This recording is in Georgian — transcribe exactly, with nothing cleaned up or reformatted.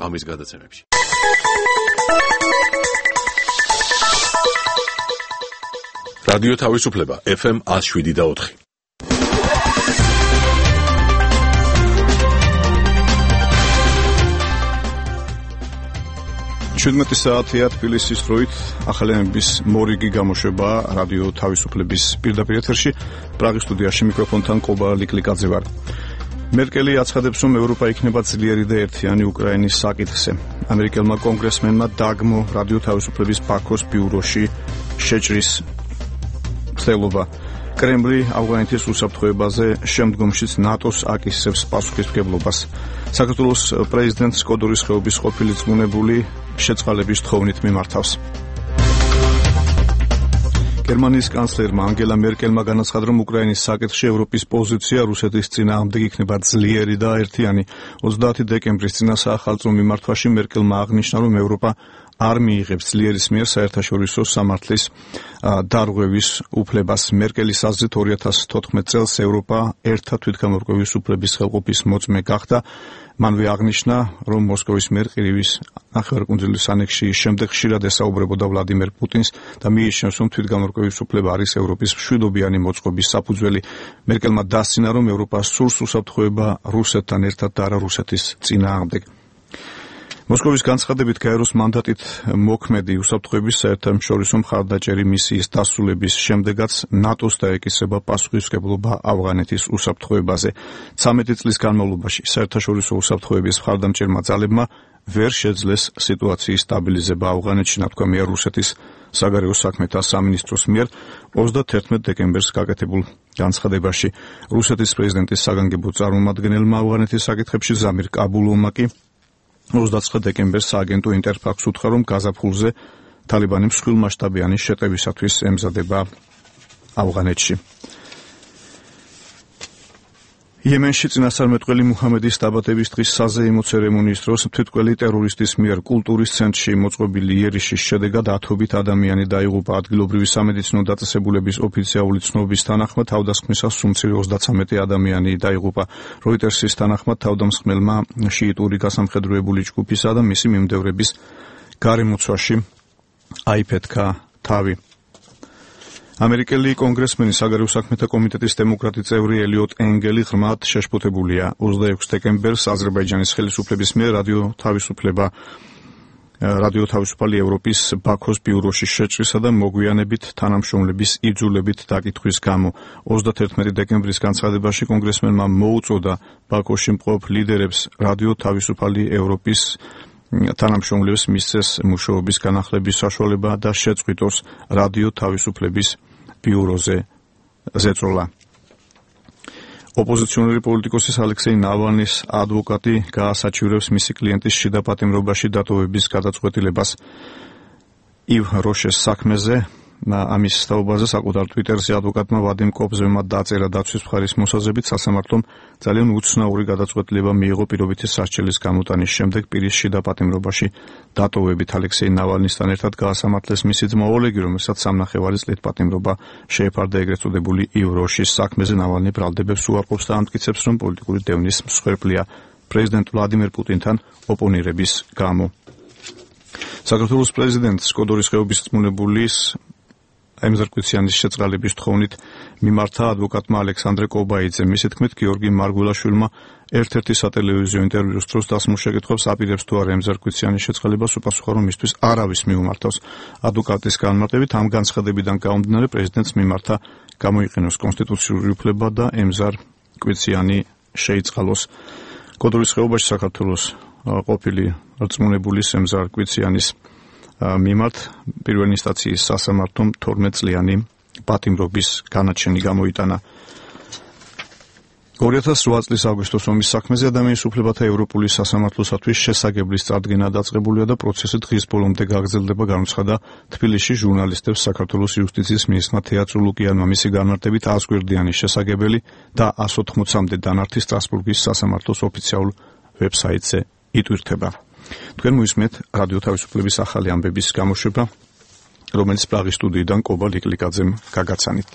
ღამის გადაცემებში. რადიო თავისუფლება ეფ ემ one oh seven და four. შვიდმეტი საათია თბილისის დროით ახალენების მორიგი გამოშვება რადიო თავისუფლების პირდაპირ ეთერში. პრაღის სტუდიაში მიკროფონთან ყობა ლიკლიკაძე ვარ. მერკელი აცხადებს, რომ ევროპა იქნება ძლიერი და ერთიანი უკრაინის საკითხზე. ამერიკელმა კონგრესმენმა დაგმო რადიო თავისუფლების ბაქოს ბიუროში შეჭრის ცდილობა. კრემლი ავღანეთის უსაფრთხოებაზე შემდგომშიც ნატოს აკისრებს პასუხისმგებლობას. საქართველოს პრეზიდენტს კოდორის ხეობის ყოფილი ზმუნებული შეწყალების თხოვნით მიმართავს. გერმანიის კანცლერმა ანგელა მერკელმა განაცხადა, რომ უკრაინის საკითხში ევროპის პოზიცია რუსეთის წინააღმდეგ იქნება ძლიერი და ერთიანი. ოცდაათი დეკემბრის წინასაახალწლო მიმართვაში მერკელმა აღნიშნა, რომ ევროპა არ მიიღებს ძლიერის მიერ საერთაშორისო სამართლის დარღვევის უფლებას. მერკელის აზრით ორი ათას თოთხმეტ წელს ევროპა ერთა თვითგამორკვევის უფლების ხელყოფის მოწმე გახდა. მანვე აღნიშნა, რომ მოსკოვის მიერ ყირიმის ნახევარკუნძულის ანექსიის შემდეგ ხშირად ესაუბრებოდა ვლადიმერ პუტინს და მიიჩნევს, რომ თვითგამორკვევის უფლება არის ევროპის მშვიდობიანი მოწყობის საფუძველი. მერკელმა დასცინა, რომ ევროპა სურს უსაფრთხოება რუსეთთან ერთად და არა რუსეთის წინააღმდეგ. მოსკოვის განცხადებით გაეროს მანდატით მოქმედი უსაფრთხოების საერთაშორისო მხარდაჭერი მისიის დასრულების შემდეგაც ნატოს დაეკისრება პასუხისმგებლობა ავღანეთის უსაფრთხოებაზე. ცამეტი წლის განმავლობაში საერთაშორისო უსაფრთხოების მხარდამჭერმა ძალებმა ვერ შეძლეს სიტუაციის სტაბილიზება ავღანეთში, ნათქვამია რუსეთის საგარეო საქმეთა სამინისტროს მიერ ოცდათერთმეტ დეკემბერს გაკეთებულ განცხადებაში. რუსეთის პრეზიდენტის საგანგებო წარმომადგენელმა ავღანეთის საკითხებში ზამირ კაბულოვმა კი ოცდაცხრა დეკემბერს სააგენტო ინტერფაქს უთხრა, რომ გაზაფხულზე თალიბანი მსხვილმასშტაბიანი შეტევისათვის ემზადება ავღანეთში. იემენში წინასწარმეტყველი მუჰამედის დაბადების დღის საზეიმო ცერემონიის დროს თვითმკვლელი ტერორისტის მიერ კულტურის ცენტრში მოწყობილი იერიშის შედეგად ათობით ადამიანი დაიღუპა. ადგილობრივი სამედიცინო დაწესებულების ოფიციალური ცნობის თანახმად თავდასხმისას სუმცირე ოცდაცამეტი ადამიანი დაიღუპა. როიტერსის თანახმად თავდამსხმელმა შიიტური გასამხედროებული ჯგუფისა და მისი მიმდევრების გარემოცვაში აიფეთქა თავი. ამერიკელი კონგრესმენი საგარეო საქმეთა კომიტეტის დემოკრატი წევრი ელიოტ ენგელი ღრმად შეშფოთებულია. ოცდაექვსი დეკემბერს აზერბაიჯანის ხელისუფლების მიერ რადიო თავისუფლება რადიო თავისუფალი ევროპის ბაქოს ბიუროში შეჭრისა და მოგვიანებით თანამშრომლების იძულებით დაკითხვის გამო. ოცდათერთმეტი დეკემბრის განცხადებაში კონგრესმენმა მოუწოდა ბაქოში მყოფ ლიდერებს რადიო თავისუფალი ევროპის თანამშრომლებს მისცეს მუშაობის განახლების საშუალება და შეწყვიტოს რადიო თავისუფლების ბიუროზე ზეწოლა. ოპოზიციონერი პოლიტიკოსის ალექსეი ნავალნის ადვოკატი გაასაჩივრებს მისი კლიენტის შიდა პატიმრობაში დატოვების გადაწყვეტილებას. ივ როშეს საქმეზე ამის თაობაზე საკუთარ ტვიტერზე ადვოკატმა ვადიმ კობზევმა დაწერა დაცვის მხარის მოსაზრებით, სასამართლომ ძალიან უცნაური გადაწყვეტილება მიიღო პირობითი სასჯელის გამოტანის შემდეგ პირის შიდა პატიმრობაში დატოვებით. ალექსეი ნავალნისთან ერთად გაასამართლეს მისი ძმა ოლეგი, რომელსაც სამნახევარი წლით პატიმრობა შეეფარდა ეგრეთ წოდებული ივ როშის საქმეზე. ნავალნი ბრალდებებს უარყოფს და ამტკიცებს, რომ პოლიტიკური დევნის მსხვერპლია პრეზიდენტ ვლადიმერ პუტინთან ოპონირების გამო. საქართველოს პრეზიდენტს კოდორის ხეობის ზმუნებულის ემზარკვიციანის შეწყალების თხოვნით მიმართა ადვოკატმა ალექსანდრე კობაიძე. მისი თქმით, გიორგი მარგველაშვილმა ერთ-ერთი სატელევიზიო ინტერვიუს დროს დასმულ შეკითხვებს აპირებს თუ არა ემზარკვიციანის შეწყალებას, უპასუხა, რომ მისთვის არავის მიუმართავს. ადვოკატის განმარტებით ამ განცხადებიდან გამომდინარე პრეზიდენტს მიმართა გამოიყენოს კონსტიტუციური უფლება და ემზარკვიციანი შეიწყალოს. კოდორის ხეობაში საქართველოს ყოფილი რწმუნებულის ემზარკვიციანის მიმართ პირველი ინსტანციის სასამართლომ თორმეტ წლიანი პატიმრობის განაჩენი გამოიტანა. ორი ათას რვა წლის აგვისტოს ომის საქმეზე ადამიანის უფლებათა ევროპული სასამართლოსათვის შესაგებლის წარდგენა დაწყებულია და პროცესი დღის ბოლომდე გაგრძელდება, განაცხადა თბილისში ჟურნალისტებს საქართველოს იუსტიციის მინისტრმა თეატრო ლუკიანმა. მისი განმარტებით აზგვერდიანი შესაგებელი და ას ოთხმოცამდე დანართი სტრასბურგის სასამართლოს ოფიციალურ ვებსაიტზე იტვირთება. თქვენ მოისმენთ რადიო თავისუფლების ახალი ამბების გამოშვება, რომელიც პრაღის სტუდიიდან ყობა ლიკლიკაძემ გაგაცანით.